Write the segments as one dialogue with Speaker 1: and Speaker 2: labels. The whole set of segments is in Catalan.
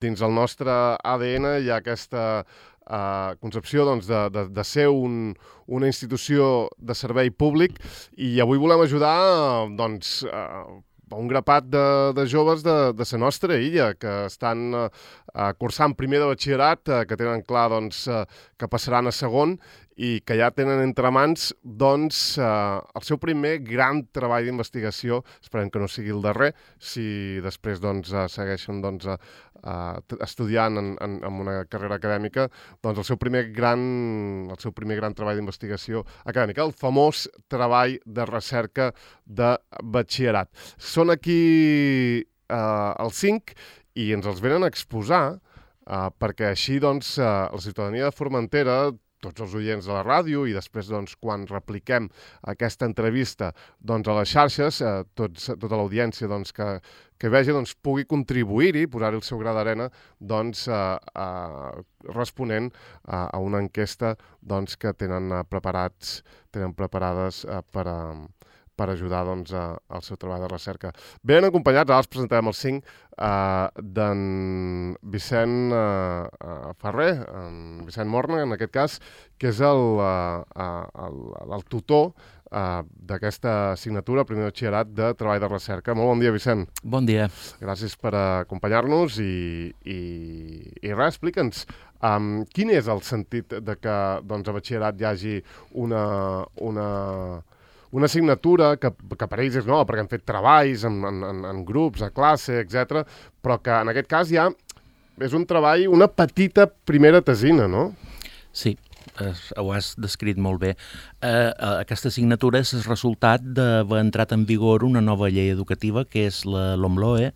Speaker 1: dins el nostre ADN hi ha aquesta concepció doncs, de ser una institució de servei públic i avui volem ajudar doncs, un grapat de joves de la nostra illa que estan cursant primer de batxillerat, que tenen clar doncs, que passaran a segon i que ja tenen entre mans doncs, el seu primer gran treball d'investigació. Esperem que no sigui el darrer, si després doncs, segueixen doncs, estudiant en una carrera acadèmica, doncs el seu primer gran treball d'investigació acadèmica, el famós treball de recerca de batxillerat. Són aquí els 5 i ens els venen a exposar perquè així doncs, la ciutadania de Formentera, tots els oients de la ràdio i després doncs, quan repliquem aquesta entrevista doncs, a les xarxes, tota l'audiència doncs, que vegi doncs, pugui contribuir-hi, posar-hi el seu gra d'arena doncs, responent a una enquesta doncs, que tenen preparades per ajudar doncs, al seu treball de recerca. Ben acompanyats, ara els presentarem els 5, d'en Vicent Ferrer, en Vicent Morna, en aquest cas, que és el tutor d'aquesta assignatura, primer de batxillerat de treball de recerca. Molt bon dia, Vicent.
Speaker 2: Bon dia. Gràcies
Speaker 1: per acompanyar-nos i res, explica'ns, quin és el sentit de que doncs, a batxillerat hi hagi una assignatura que per ells és nova, perquè han fet treballs en grups, a classe, etc. Però que en aquest cas ja és un treball, una petita primera tesina, no?
Speaker 2: Sí, ho has descrit molt bé. Aquesta assignatura és el resultat d'haver entrat en vigor una nova llei educativa, que és la LOMLOE,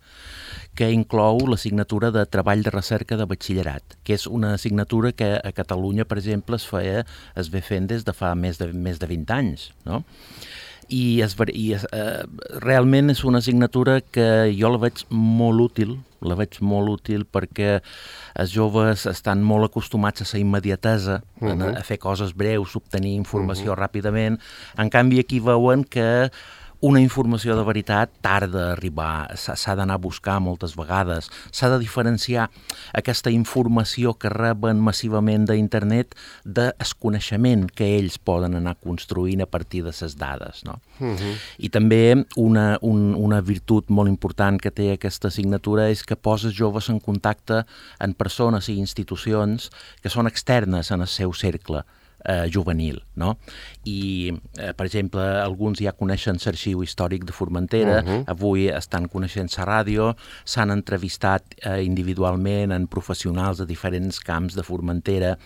Speaker 2: que inclou l'assignatura de treball de recerca de batxillerat, que és una assignatura que a Catalunya, per exemple, es ve fent des de fa més de 20 anys, no? I realment és una assignatura que jo la veig molt útil perquè els joves estan molt acostumats a la immediatesa, a fer coses breus, obtenir informació ràpidament. En canvi, aquí veuen que una informació de veritat tarda a arribar, s'ha d'anar a buscar moltes vegades, s'ha de diferenciar aquesta informació que reben massivament d'internet del coneixement que ells poden anar construint a partir de les dades, no? I també una virtut molt important que té aquesta assignatura és que posa els joves en contacte amb persones i institucions que són externes en el seu cercle juvenil, no? I, per exemple, alguns ja coneixen l'Arxiu Històric de Formentera, avui estan coneixent la ràdio, s'han entrevistat individualment en professionals de diferents camps de Formentera,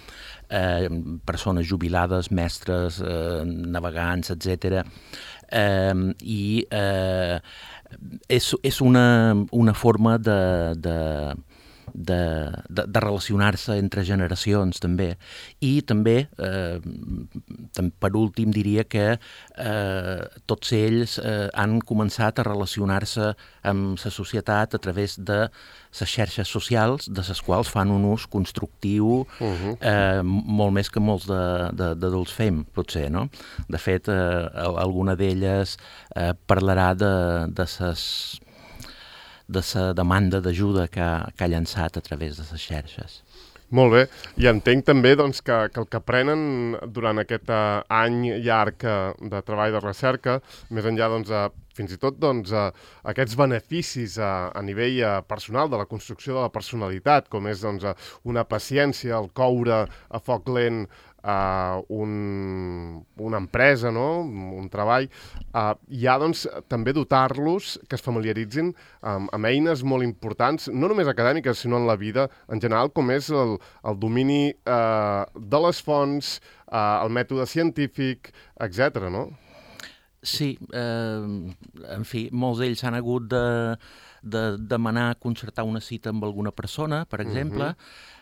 Speaker 2: persones jubilades, mestres, navegants, etc. I és una forma de relacionar-se entre generacions també, i també per últim diria que tots ells han començat a relacionar-se amb la societat a través de les xarxes socials, de les quals fan un ús constructiu molt més que molts d'adults fem, potser, no? De fet, alguna d'elles parlarà de la demanda d'ajuda que ha llançat a través de les xarxes.
Speaker 1: Molt bé, i entenc també doncs, que el que aprenen durant aquest any llarg de treball de recerca, més enllà doncs, fins i tot doncs, aquests beneficis a nivell personal de la construcció de la personalitat, com és doncs, una paciència, el coure a foc lent una empresa, no? Un treball, hi ha doncs, també dotar-los que es familiaritzin amb eines molt importants, no només acadèmiques, sinó en la vida en general, com és el domini de les fonts, el mètode científic, etc. no?
Speaker 2: Sí, en fi, molts d'ells han hagut de demanar concertar una cita amb alguna persona, per exemple.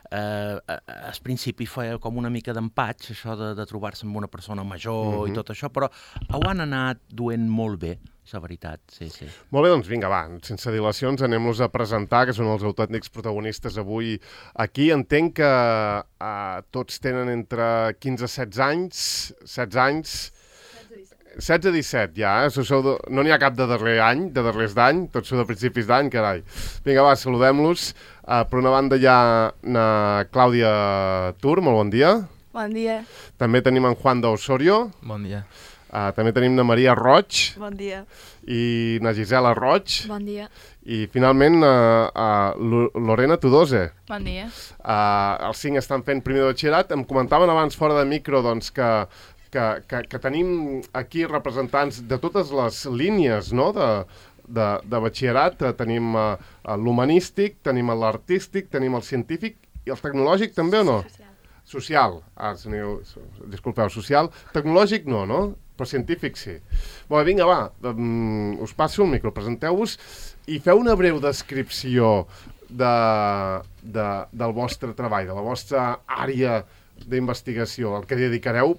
Speaker 2: Al principi feia com una mica d'empatx, això de trobar-se amb una persona major i tot això, però ho han anat duent molt bé, la veritat, sí.
Speaker 1: Molt bé, doncs vinga, va, sense dilacions, anem-los a presentar, que són els autèntics protagonistes avui aquí. Entenc que tots tenen entre 15 i 16 anys, 16-17 ja, no n'hi ha cap de darrer any, de darrers d'any, tots són de principis d'any, carai. Vinga, va, saludem-los. Per una banda hi ha na Clàudia Tur, molt bon dia.
Speaker 3: Bon dia.
Speaker 1: També tenim en Juan d'Osorio.
Speaker 4: Bon dia.
Speaker 1: També tenim na Maria Roig.
Speaker 3: Bon dia.
Speaker 1: I na Gisela Roig.
Speaker 3: Bon dia.
Speaker 1: I finalment Lorena Tudose.
Speaker 3: Bon dia.
Speaker 1: Els 5 estan fent primer de batxillerat. Em comentaven abans fora de micro doncs, que tenim aquí representants de totes les línies, no?, de batxillerat. Tenim l'humanístic, tenim l'artístic, tenim el científic i el tecnològic també o no? Social. Disculpeu, social. Tecnològic no? Però científic sí. Bé, vinga, va, us passo el micro, presenteu-vos i feu una breu descripció del vostre treball, de la vostra àrea d'investigació, el que dedicareu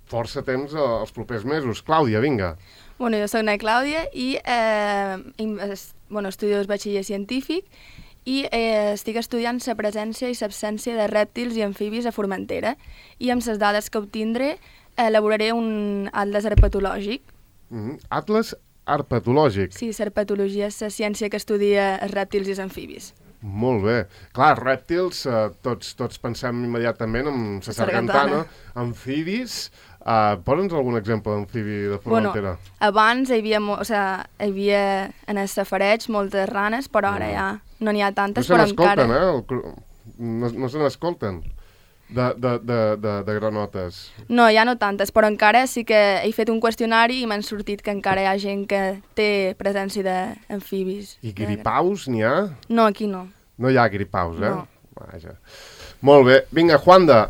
Speaker 1: força temps els propers mesos. Clàudia, vinga.
Speaker 3: Bueno, jo soc na Clàudia i estudio el batxiller científic i estic estudiant la presència i l'absència de rèptils i amfibis a Formentera i amb les dades que obtindré elaboraré un atles herpetològic.
Speaker 1: Atles herpetològic?
Speaker 3: Sí, l'herpetologia és la ciència que estudia els rèptils i els amfibis.
Speaker 1: Molt bé. Clar, rèptils, tots pensem immediatament en la sargantana, amfibis. Posa'ns algun exemple d'amfibi de Formentera?
Speaker 3: Abans hi havia en el safareig moltes ranes, però ara ja no n'hi ha tantes, però encara...
Speaker 1: No se n'escolten de granotes.
Speaker 3: No, ja no tantes, però encara sí que he fet un qüestionari i m'han sortit que encara hi ha gent que té presència d'amfibis.
Speaker 1: I gripaus n'hi ha?
Speaker 3: No, aquí no.
Speaker 1: No hi ha gripaus, eh?
Speaker 3: No.
Speaker 1: Vaja. Molt bé. Vinga, Juanda,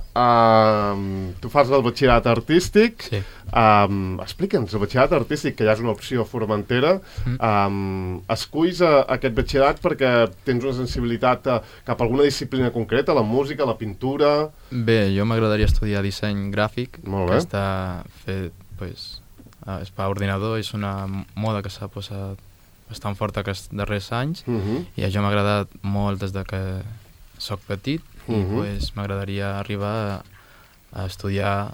Speaker 1: tu fas el batxillerat artístic.
Speaker 4: Sí.
Speaker 1: Explica'ns, el batxillerat artístic, que ja és una opció a Formentera. Esculls aquest batxillerat perquè tens una sensibilitat cap a alguna disciplina concreta, la música, la pintura...
Speaker 4: Bé, jo m'agradaria estudiar disseny gràfic,
Speaker 1: molt bé,
Speaker 4: que està fet, és per ordinador, és una moda que s'ha posat bastant forta aquests darrers anys, i això m'ha agradat molt des de que soc petit, i m'agradaria arribar a estudiar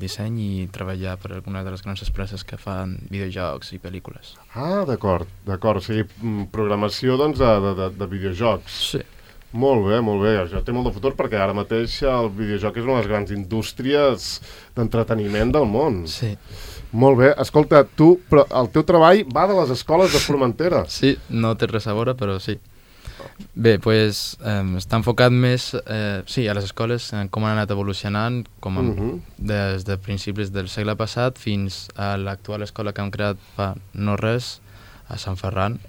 Speaker 4: disseny i treballar per alguna de les grans empreses que fan videojocs i pel·lícules.
Speaker 1: D'acord. O sigui, programació doncs, de videojocs.
Speaker 4: Sí.
Speaker 1: Molt bé. Això té molt de futur perquè ara mateix el videojoc és una de les grans indústries d'entreteniment del món.
Speaker 4: Sí.
Speaker 1: Molt bé. Escolta, però el teu treball va de les escoles de Formentera.
Speaker 4: Sí, no té res a veure, però sí. Bé, doncs està enfocat més a les escoles, com han anat evolucionant des de principis del segle passat fins a l'actual escola que hem creat fa no res, a Sant Ferran.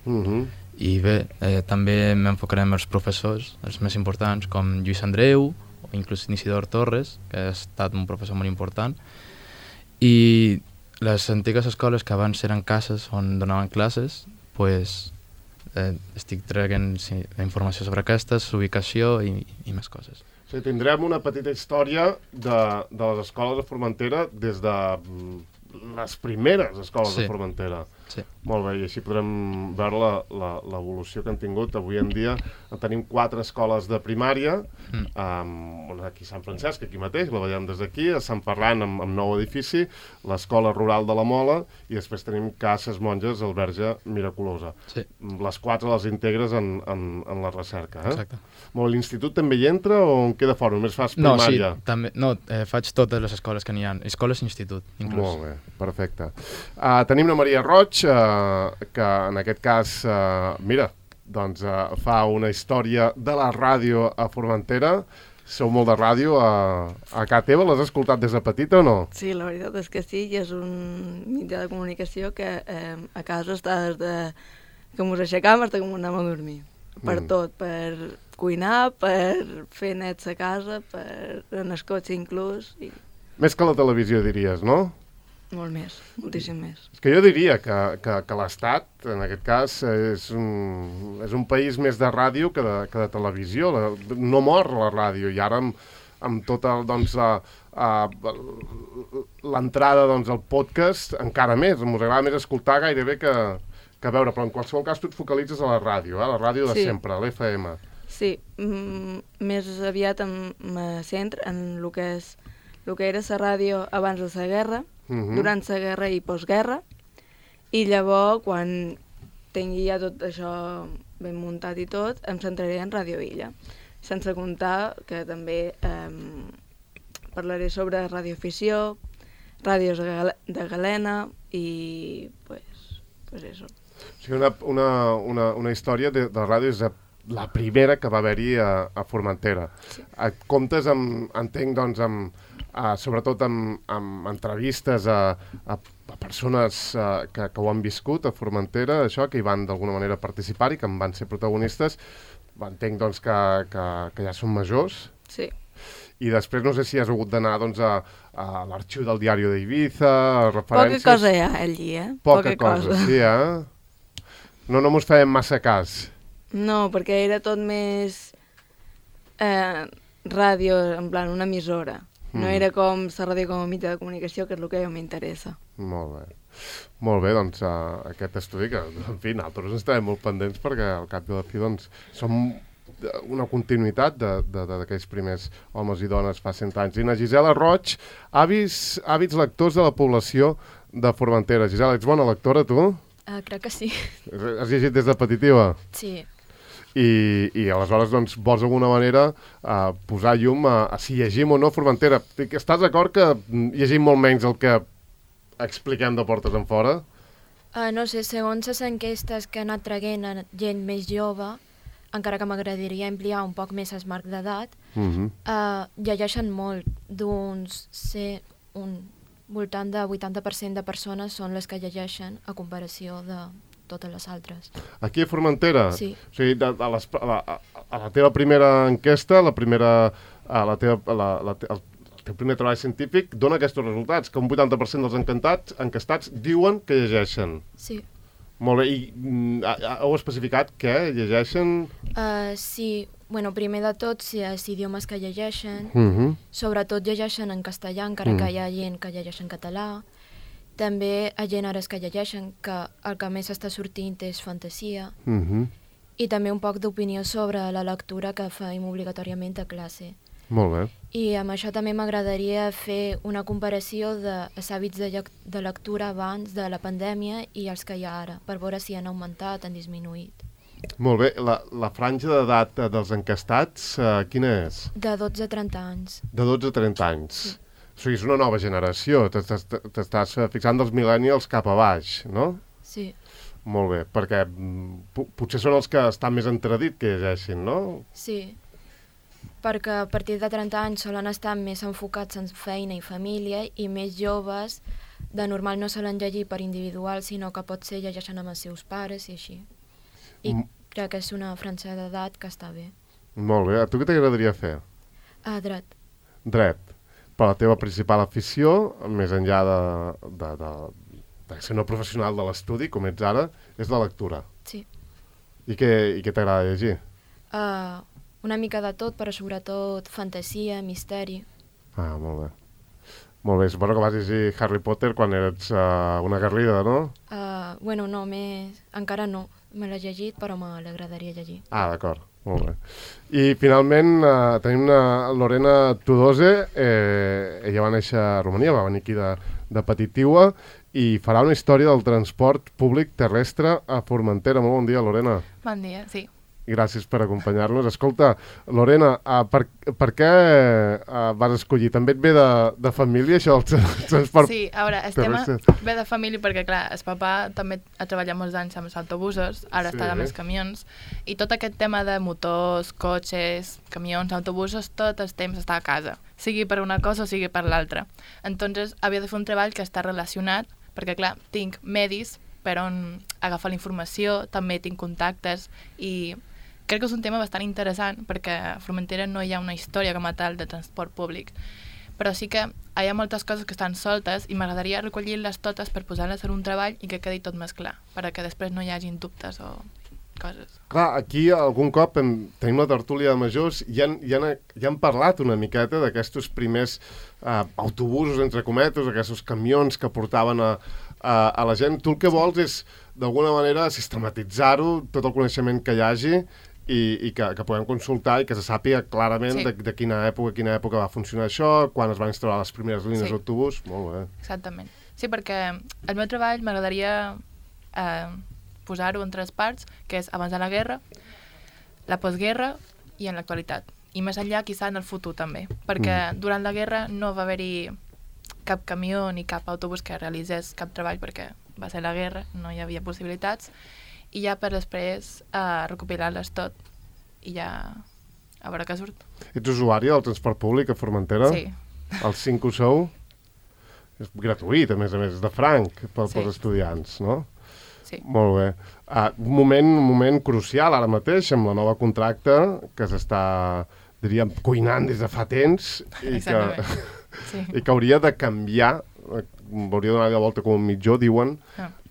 Speaker 4: I bé, també m'enfocaré en els professors, els més importants, com Lluís Andreu o inclús Isidor Torres, que ha estat un professor molt important. I les antigues escoles que abans eren cases on donaven classes, doncs estic traient informació sobre aquestes, ubicació i més coses.
Speaker 1: O sigui, tindrem una petita història de les escoles de Formentera des de les primeres escoles de Formentera.
Speaker 4: Sí.
Speaker 1: Molt bé, i així podrem veure l'evolució que han tingut. Avui en dia tenim 4 escoles de primària, aquí a Sant Francesc, aquí mateix, la veiem des d'aquí, a Sant Ferran amb nou edifici, l'escola rural de la Mola, i després tenim Cases Monges al Verge Miraculosa.
Speaker 4: Sí.
Speaker 1: Les 4 les integres en la recerca.
Speaker 4: Exacte.
Speaker 1: Molt, l'institut també hi entra o en queda fora? Només fas primària?
Speaker 4: També, faig totes les escoles que n'hi ha, escoles i institut, inclús.
Speaker 1: Molt bé, perfecte. Tenim la Maria Roig, que en aquest cas, fa una història de la ràdio a Formentera. Sou molt de ràdio a casa teva, l'has escoltat des de petita o no?
Speaker 5: Sí, la veritat és que sí, i és un mitjà de comunicació que a casa està des de que ens aixecam fins que ens anem a dormir. Per tot, per cuinar, per fer nets a casa, per en el cotxe inclús.
Speaker 1: Més que la televisió, diries, no?
Speaker 5: Molt més, moltíssim més.
Speaker 1: És que jo diria que l'Estat, en aquest cas, és un país més de ràdio que de televisió. No mor la ràdio, i ara amb tota l'entrada al podcast encara més. Ens agrada més escoltar gairebé que veure, però en qualsevol cas tu et focalitzes a la ràdio de sempre, a l'FM.
Speaker 5: Sí, més aviat em centro en el que era la ràdio abans de la guerra, durant la guerra i postguerra, i llavors, quan tingui ja tot això ben muntat i tot, em centraré en Ràdio Illa. Sense comptar que també parlaré sobre radioafició, ràdios de galena i pues eso.
Speaker 1: O sigui, una història de ràdio és la primera que va haver-hi a Formentera. Sí. Comptes entenc, doncs, sobretot amb entrevistes a persones que ho han viscut a Formentera, això, que hi van d'alguna manera participar i que en van ser protagonistes. Entenc, doncs, que ja són majors.
Speaker 5: Sí.
Speaker 1: I després no sé si has hagut d'anar, doncs, a l'arxiu del diari d'Ibiza, a referències...
Speaker 5: Poca cosa hi ha allí,
Speaker 1: Poca cosa, sí, No mos fèiem massa cas.
Speaker 5: No, perquè era tot més ràdio, en plan, una emissora. No era com la ràdio com a mitjà de comunicació, que és el que a mi m'interessa.
Speaker 1: Molt bé. Molt bé, doncs, aquest estudi, que, en fi, nosaltres estarem molt pendents perquè al cap i a la fi, doncs, som una continuïtat d'aquells primers homes i dones fa 100 anys. I na Gisela Roig, hàbits lectors de la població de Formentera. Gisela, ets bona lectora, tu?
Speaker 3: Crec que sí.
Speaker 1: Has llegit des de petitiva?
Speaker 3: Sí.
Speaker 1: I aleshores, doncs, vols d'alguna manera posar llum a si llegim o no Formentera. Estàs d'acord que llegim molt menys el que expliquem de portes en fora?
Speaker 6: No sé, segons les enquestes que han anat traient gent més jove, encara que m'agradaria ampliar un poc més el marc d'edat, llegeixen molt, un voltant de 80% de persones són les que llegeixen a comparació de totes les altres.
Speaker 1: Aquí a Formentera?
Speaker 6: Sí.
Speaker 1: O sigui, a la teva primera enquesta, el teu primer treball científic dona aquests resultats, que un 80% dels encastats diuen que llegeixen.
Speaker 6: Sí.
Speaker 1: Molt bé, i heu especificat què llegeixen?
Speaker 6: Sí, bueno, primer de tot, els idiomes que llegeixen, sobretot llegeixen en castellà, encara que hi ha gent que llegeix en català. També hi ha gèneres que llegeixen, que el que més està sortint és fantasia, i també un poc d'opinió sobre la lectura que fem obligatòriament a classe.
Speaker 1: Molt bé.
Speaker 6: I amb això també m'agradaria fer una comparació dels hàbits de lectura abans de la pandèmia i els que hi ha ara, per veure si han augmentat, han disminuït.
Speaker 1: Molt bé. La franja d'edat dels encastats, quina és?
Speaker 6: De 12 a 30 anys.
Speaker 1: De 12 a 30 anys. Sí. O sigui, és una nova generació. T'estàs fixant dels millennials cap a baix, no?
Speaker 6: Sí.
Speaker 1: Molt bé, perquè potser són els que estan més entredit que llegeixin, no?
Speaker 6: Sí, perquè a partir de 30 anys solen estar més enfocats en feina i família i més joves de normal no solen llegir per individual, sinó que potser llegeixen amb els seus pares i així. I crec que és una franja d'edat que està bé.
Speaker 1: Molt bé. A tu què t'agradaria fer?
Speaker 6: Dret.
Speaker 1: Dret. Per la teva principal afició, més enllà de ser una professional de l'estudi, com ets ara, és la lectura.
Speaker 6: Sí.
Speaker 1: I què t'agrada llegir?
Speaker 6: Una mica de tot, però sobretot fantasia, misteri.
Speaker 1: Molt bé. Molt bé, suposo que vas llegir Harry Potter quan eres una garrida, no?
Speaker 6: Bueno, no, encara no. Me l'he llegit, però m'agradaria llegir.
Speaker 1: D'acord. Molt bé. I finalment tenim Lorena Tudose. Ella va néixer a Romania, va venir aquí de Petitiua i farà una història del transport públic terrestre a Formentera. Molt bon dia, Lorena.
Speaker 7: Bon dia, sí.
Speaker 1: Gràcies per acompanyar-nos. Escolta, Lorena, per què vas escollir? També et ve de família, això del transport?
Speaker 7: Sí, a veure, el tema ve de família perquè, clar, el papà també ha treballat molts anys amb els autobusos, ara està amb els camions, i tot aquest tema de motors, cotxes, camions, autobusos, tot el temps està a casa, sigui per una cosa o sigui per l'altra. Entonces, havia de fer un treball que està relacionat, perquè, clar, tinc medis per on agafar la informació, també tinc contactes i crec que és un tema bastant interessant perquè a Formentera no hi ha una història com a tal de transport públic, però sí que hi ha moltes coses que estan soltes i m'agradaria recollir-les totes per posar-les en un treball i que quedi tot més clar, perquè després no hi hagin dubtes o coses.
Speaker 1: Clar, aquí algun cop tenim la tertúlia de majors i han parlat una miqueta d'aquests primers autobusos, entre cometes, aquests camions que portaven a la gent. Tu el que vols és, d'alguna manera, sistematitzar-ho, tot el coneixement que hi hagi, i que puguem consultar i que se sàpiga clarament de quina època va funcionar això, quan es van instal·lar les primeres línies d'autobús. Molt bé.
Speaker 7: Exactament. Sí, perquè el meu treball m'agradaria posar-ho en 3 parts, que és abans de la guerra, la postguerra i en l'actualitat. I més enllà, quizà en el futur també, perquè durant la guerra no va haver-hi cap camió ni cap autobús que realitzés cap treball perquè va ser la guerra, no hi havia possibilitats, i ja per després recopilar-les tot i ja a veure què surt.
Speaker 1: Ets usuària del transport públic a Formentera?
Speaker 7: Sí.
Speaker 1: Els 5 ho sou? És gratuït, a més, és de franc pels estudiants, no?
Speaker 7: Sí.
Speaker 1: Molt bé. Un moment crucial ara mateix amb la nova contracte que s'està, diríem, cuinant des de fa temps i que hauria de canviar, hauria de donar la volta com un mitjó, diuen,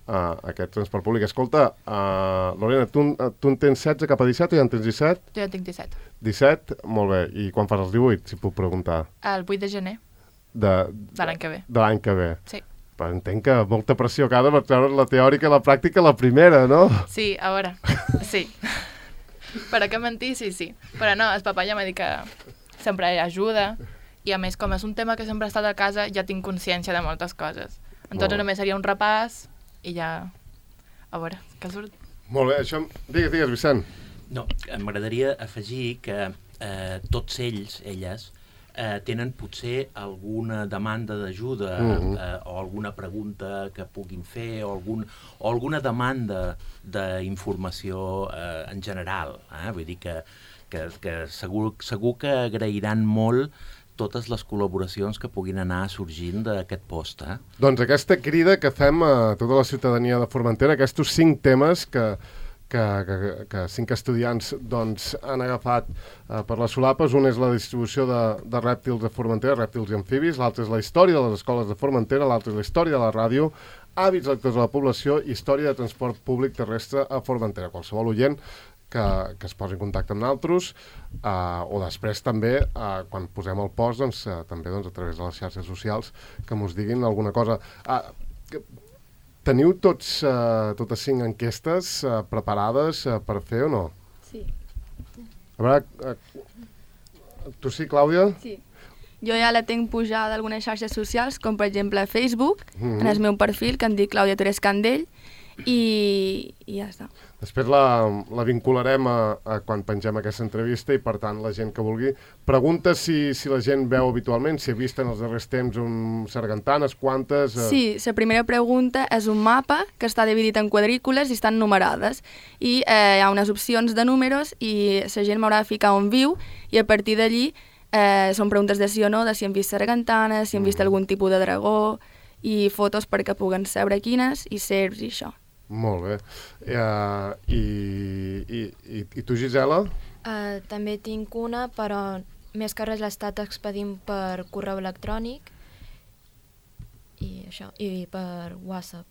Speaker 1: aquest transport públic. Escolta, Lorena, tu en tens 16 cap a 17 o ja en tens 17?
Speaker 7: Jo ja tinc 17.
Speaker 1: 17? Molt bé. I quan fas els 18, si puc preguntar?
Speaker 7: El 8 de gener
Speaker 1: de
Speaker 7: l'any que ve.
Speaker 1: De l'any que ve.
Speaker 7: Sí.
Speaker 1: Però entenc que molta pressió cada per treure la teòrica i la pràctica la primera, no?
Speaker 7: Sí, a veure, sí. Per a què mentir, sí. Però no, el papà ja m'ha dit que sempre ajuda i a més, com és un tema que sempre ha estat a casa, ja tinc consciència de moltes coses. Entonces només seria un repàs i ja... A veure, què surt?
Speaker 1: Molt bé, això... Digues, Vicent.
Speaker 2: No, m'agradaria afegir que tots elles, tenen potser alguna demanda d'ajuda o alguna pregunta que puguin fer o alguna demanda d'informació en general. Vull dir que segur que agrairan molt totes les col·laboracions que puguin anar sorgint d'aquest post.
Speaker 1: Doncs aquesta crida que fem a tota la ciutadania de Formentera, aquests 5 temes que 5 estudiants doncs, han agafat per les solapes. Un és la distribució de rèptils a Formentera, rèptils i amfibis, l'altre és la història de les escoles de Formentera, l'altre és la història de la ràdio, hàbits lectors de la població i història de transport públic terrestre a Formentera. Qualsevol oient que es posi en contacte amb nosaltres o després també, quan posem el post, doncs, també doncs, a través de les xarxes socials, que mos diguin alguna cosa. Teniu totes 5 enquestes preparades per fer o no?
Speaker 3: Sí.
Speaker 1: A veure, tu sí, Clàudia?
Speaker 3: Sí. Jo ja la tinc pujada a algunes xarxes socials, com per exemple a Facebook, en el meu perfil, que em dic Clàudia Torres Candell, i ja està.
Speaker 1: Després la vincularem a quan pengem aquesta entrevista i, per tant, la gent que vulgui pregunta si la gent veu habitualment, si ha vist en els darrers temps sargantanes, quantes...
Speaker 3: Sí, la primera pregunta és un mapa que està dividit en quadrícules i estan numerades. I hi ha unes opcions de números i la gent m'haurà de ficar on viu i a partir d'allí són preguntes de sí o no, de si han vist sargantanes, si han vist algun tipus de dragó i fotos perquè puguen saber quines i serps i això.
Speaker 1: Molt bé. I tu, Gisela?
Speaker 6: També tinc una, però més que res l'he estat expedint per correu electrònic i això, i per WhatsApp.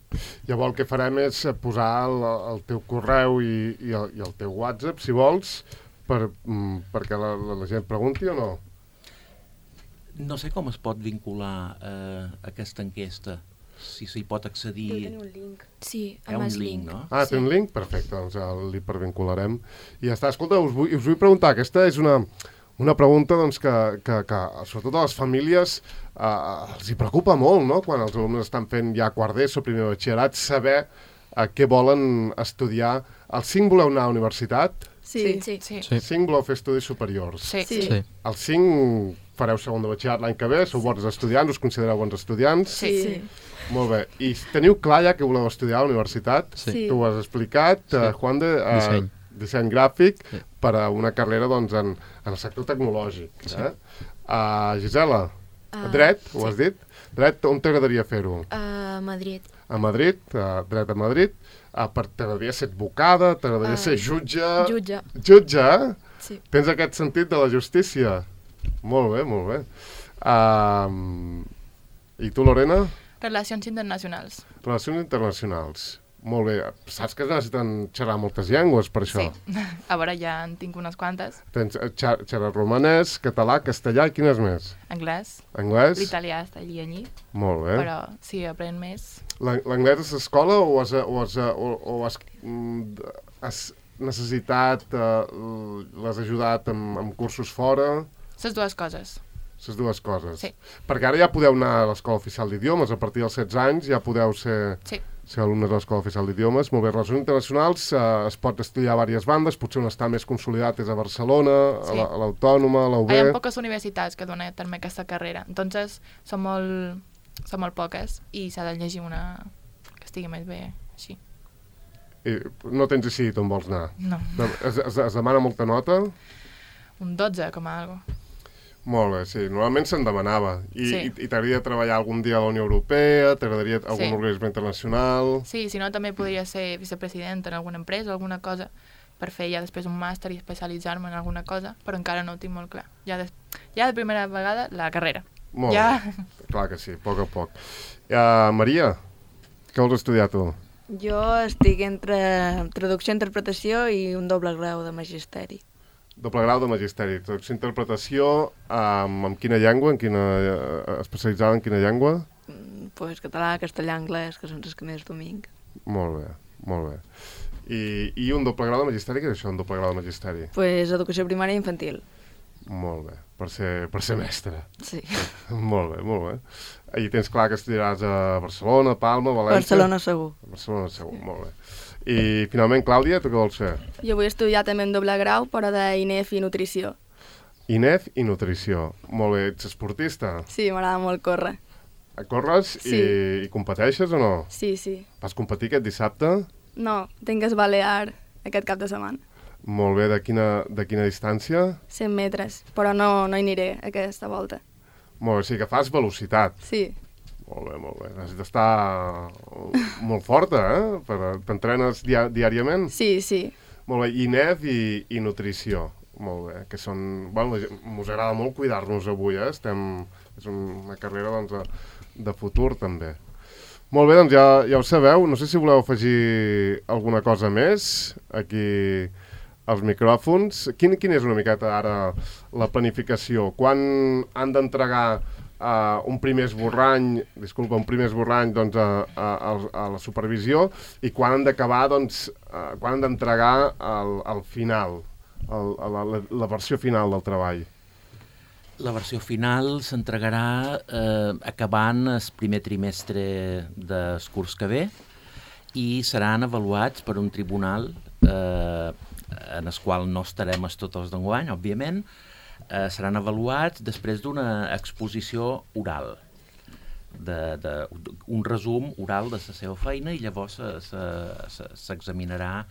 Speaker 1: Llavors el que farem és posar el teu correu i el teu WhatsApp, si vols, perquè la gent pregunti o no?
Speaker 2: No sé com es pot vincular aquesta enquesta. Si s'hi pot accedir...
Speaker 6: Deu tenir un link. Sí,
Speaker 2: amb el link, no?
Speaker 1: Té un link? Perfecte, doncs el hipervincularem. I ja està. Escolta, us vull preguntar, aquesta és una pregunta doncs, que sobretot a les famílies els hi preocupa molt, no?, quan els alumnes estan fent ja quart d'ESO, primer de batxillerat, saber què volen estudiar. Els 5 voleu anar a universitat?
Speaker 3: Sí.
Speaker 1: Els 5 voleu fer estudis superiors?
Speaker 7: Sí.
Speaker 1: Els 5 fareu segon de batxillerat l'any que ve? Sou bons estudiants? Us considereu bons estudiants?
Speaker 3: Sí.
Speaker 1: Molt bé. I teniu clar ja que voleu estudiar a la universitat?
Speaker 4: Sí.
Speaker 1: Tu ho has explicat, Juan de... Disseny gràfic per a una carrera doncs, en el sector tecnològic. Gisela, dret, ho has dit? Dret, on t'agradaria fer-ho?
Speaker 6: A Madrid.
Speaker 1: A Madrid, dret a Madrid. T'agradaria ser advocada, t'agradaria ser jutge...
Speaker 6: Jutge.
Speaker 1: Jutge,
Speaker 6: Sí.
Speaker 1: Tens aquest sentit de la justícia? Molt bé, molt bé. I tu, Lorena?
Speaker 7: Relacions internacionals.
Speaker 1: Relacions internacionals. Molt bé. Saps que es necessiten xerrar moltes llengües per això?
Speaker 7: Sí. A veure, ja en tinc unes quantes.
Speaker 1: Tens xerrar romanès, català, castellà i quines més?
Speaker 7: Anglès.
Speaker 1: Anglès?
Speaker 7: L'italià està allí allí.
Speaker 1: Molt bé.
Speaker 7: Però si aprèn més...
Speaker 1: L'anglès és escola o has necessitat, l'has ajudat amb cursos fora?
Speaker 7: Les dues coses.
Speaker 1: les dues coses.
Speaker 7: Sí.
Speaker 1: Perquè ara ja podeu anar a l'Escola Oficial d'Idiomes, a partir dels 16 anys ja podeu ser alumnes de l'Escola Oficial d'Idiomes. Molt bé, relacions internacionals, es pot estudiar a diverses bandes, potser on està més consolidat és a Barcelona, a l'Autònoma, a la UB...
Speaker 7: Hi ha poques universitats que donen també aquesta carrera, entonces són molt poques i s'ha de llegir una que estigui més bé així.
Speaker 1: I no tens decidit on vols anar?
Speaker 7: No.
Speaker 1: Es demana molta nota?
Speaker 7: Un 12, com a algo.
Speaker 1: Molt bé, sí. Normalment se'n demanava. I t'agradaria treballar algun dia a la Unió Europea? T'agradaria algun organisme internacional?
Speaker 7: Sí, si no també podria ser vicepresident en alguna empresa o alguna cosa per fer ja després un màster i especialitzar-me en alguna cosa, però encara no ho tinc molt clar. Ja de primera vegada, la carrera.
Speaker 1: Molt bé. Clar que sí, a poc. Maria, què vols estudiar tu?
Speaker 5: Jo estic entre traducció i interpretació i un doble grau de magisteri.
Speaker 1: Doble grau de magisteri, traducció i interpretació, amb quina llengua? Especialitzada en quina llengua?
Speaker 5: Pues català, castellà, anglès, que són els que més dominc.
Speaker 1: Molt bé. I un doble grau de magisteri, què és això, un doble grau de magisteri?
Speaker 5: Pues educació primària i infantil.
Speaker 1: Molt bé, per ser mestre.
Speaker 5: Sí.
Speaker 1: Molt bé. I tens clar que estudiaràs a Barcelona, Palma, València?
Speaker 5: Barcelona segur.
Speaker 1: Barcelona segur, molt bé. I finalment, Clàudia, tu què vols fer?
Speaker 3: Jo vull estudiar també en doble grau, però d'INEF i nutrició.
Speaker 1: INEF i nutrició. Molt bé, ets esportista?
Speaker 3: Sí, m'agrada molt córrer.
Speaker 1: Corres i competeixes o no?
Speaker 3: Sí.
Speaker 1: Vas competir aquest dissabte?
Speaker 3: No, tinc que esbalear aquest cap de setmana.
Speaker 1: Molt bé, de quina distància?
Speaker 3: 100 metres, però no hi aniré aquesta volta.
Speaker 1: Molt bé, sí que fas velocitat.
Speaker 3: Sí.
Speaker 1: Molt bé. Necessites estar molt forta, T'entrenes diàriament?
Speaker 3: Sí.
Speaker 1: Molt bé, INEF i nutrició. Molt bé, que són... Bueno, mos agrada molt cuidar-nos avui, És una carrera, de futur, també. Molt bé, doncs ja ho sabeu. No sé si voleu afegir alguna cosa més aquí als micròfons. Quin és una miqueta ara la planificació? Quan han d'entregar un primer esborrany doncs, a la supervisió i quan han d'acabar, doncs, quan han d'entregar al final, la versió final del treball?
Speaker 2: La versió final s'entregarà acabant el primer trimestre del curs que ve i seran avaluats per un tribunal en el qual no estarem tots d'enguany, òbviament. Seran avaluats després d'una exposició oral, un resum oral de la seva feina, i llavors s'examinarà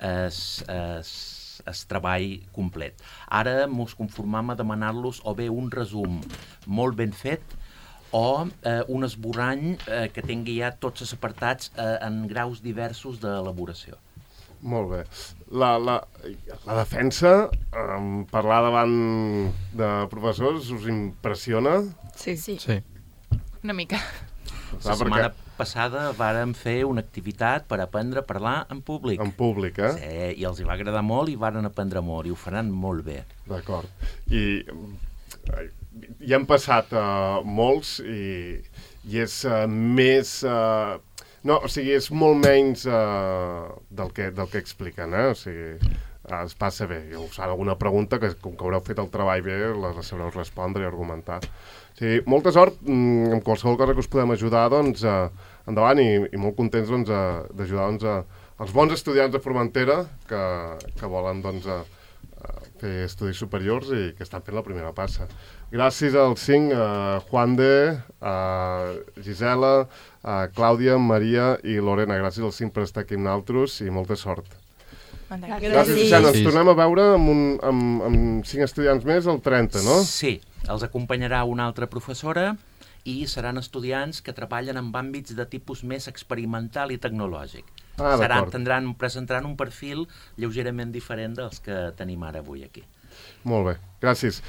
Speaker 2: el treball complet. Ara mos conformam a demanar-los o bé un resum molt ben fet o un esborrany que tingui ja tots els apartats en graus diversos d'elaboració.
Speaker 1: Molt bé. La defensa, parlar davant de professors, us impressiona?
Speaker 5: Sí.
Speaker 7: Una mica.
Speaker 2: La setmana passada vàrem fer una activitat per aprendre a parlar en públic.
Speaker 1: En públic,
Speaker 2: Sí, i els hi va agradar molt i varen aprendre molt, i ho faran molt bé.
Speaker 1: D'acord. I hi han passat molts i és més... No, o sigui, és molt menys del que expliquen, O sigui, es passa bé. I us fan alguna pregunta que, com que haureu fet el treball bé, la sabreu respondre i argumentar. O sigui, molta sort, amb qualsevol cosa que us podem ajudar, doncs, endavant, i molt contents d'ajudar els bons estudiants de Formentera que volen, doncs, fer estudis superiors i que estan fent la primera passa. Gràcies als 5, Juan de, Gisela, Clàudia, Maria i Lorena. Gràcies als 5 per estar aquí amb nosaltres i molta sort. Gràcies, Susana. Ens tornem a veure amb 5 estudiants més el 30, no?
Speaker 2: Sí, els acompanyarà una altra professora i seran estudiants que treballen en àmbits de tipus més experimental i tecnològic. Presentaran un perfil lleugerament diferent dels que tenim ara avui aquí.
Speaker 1: Molt bé, gràcies.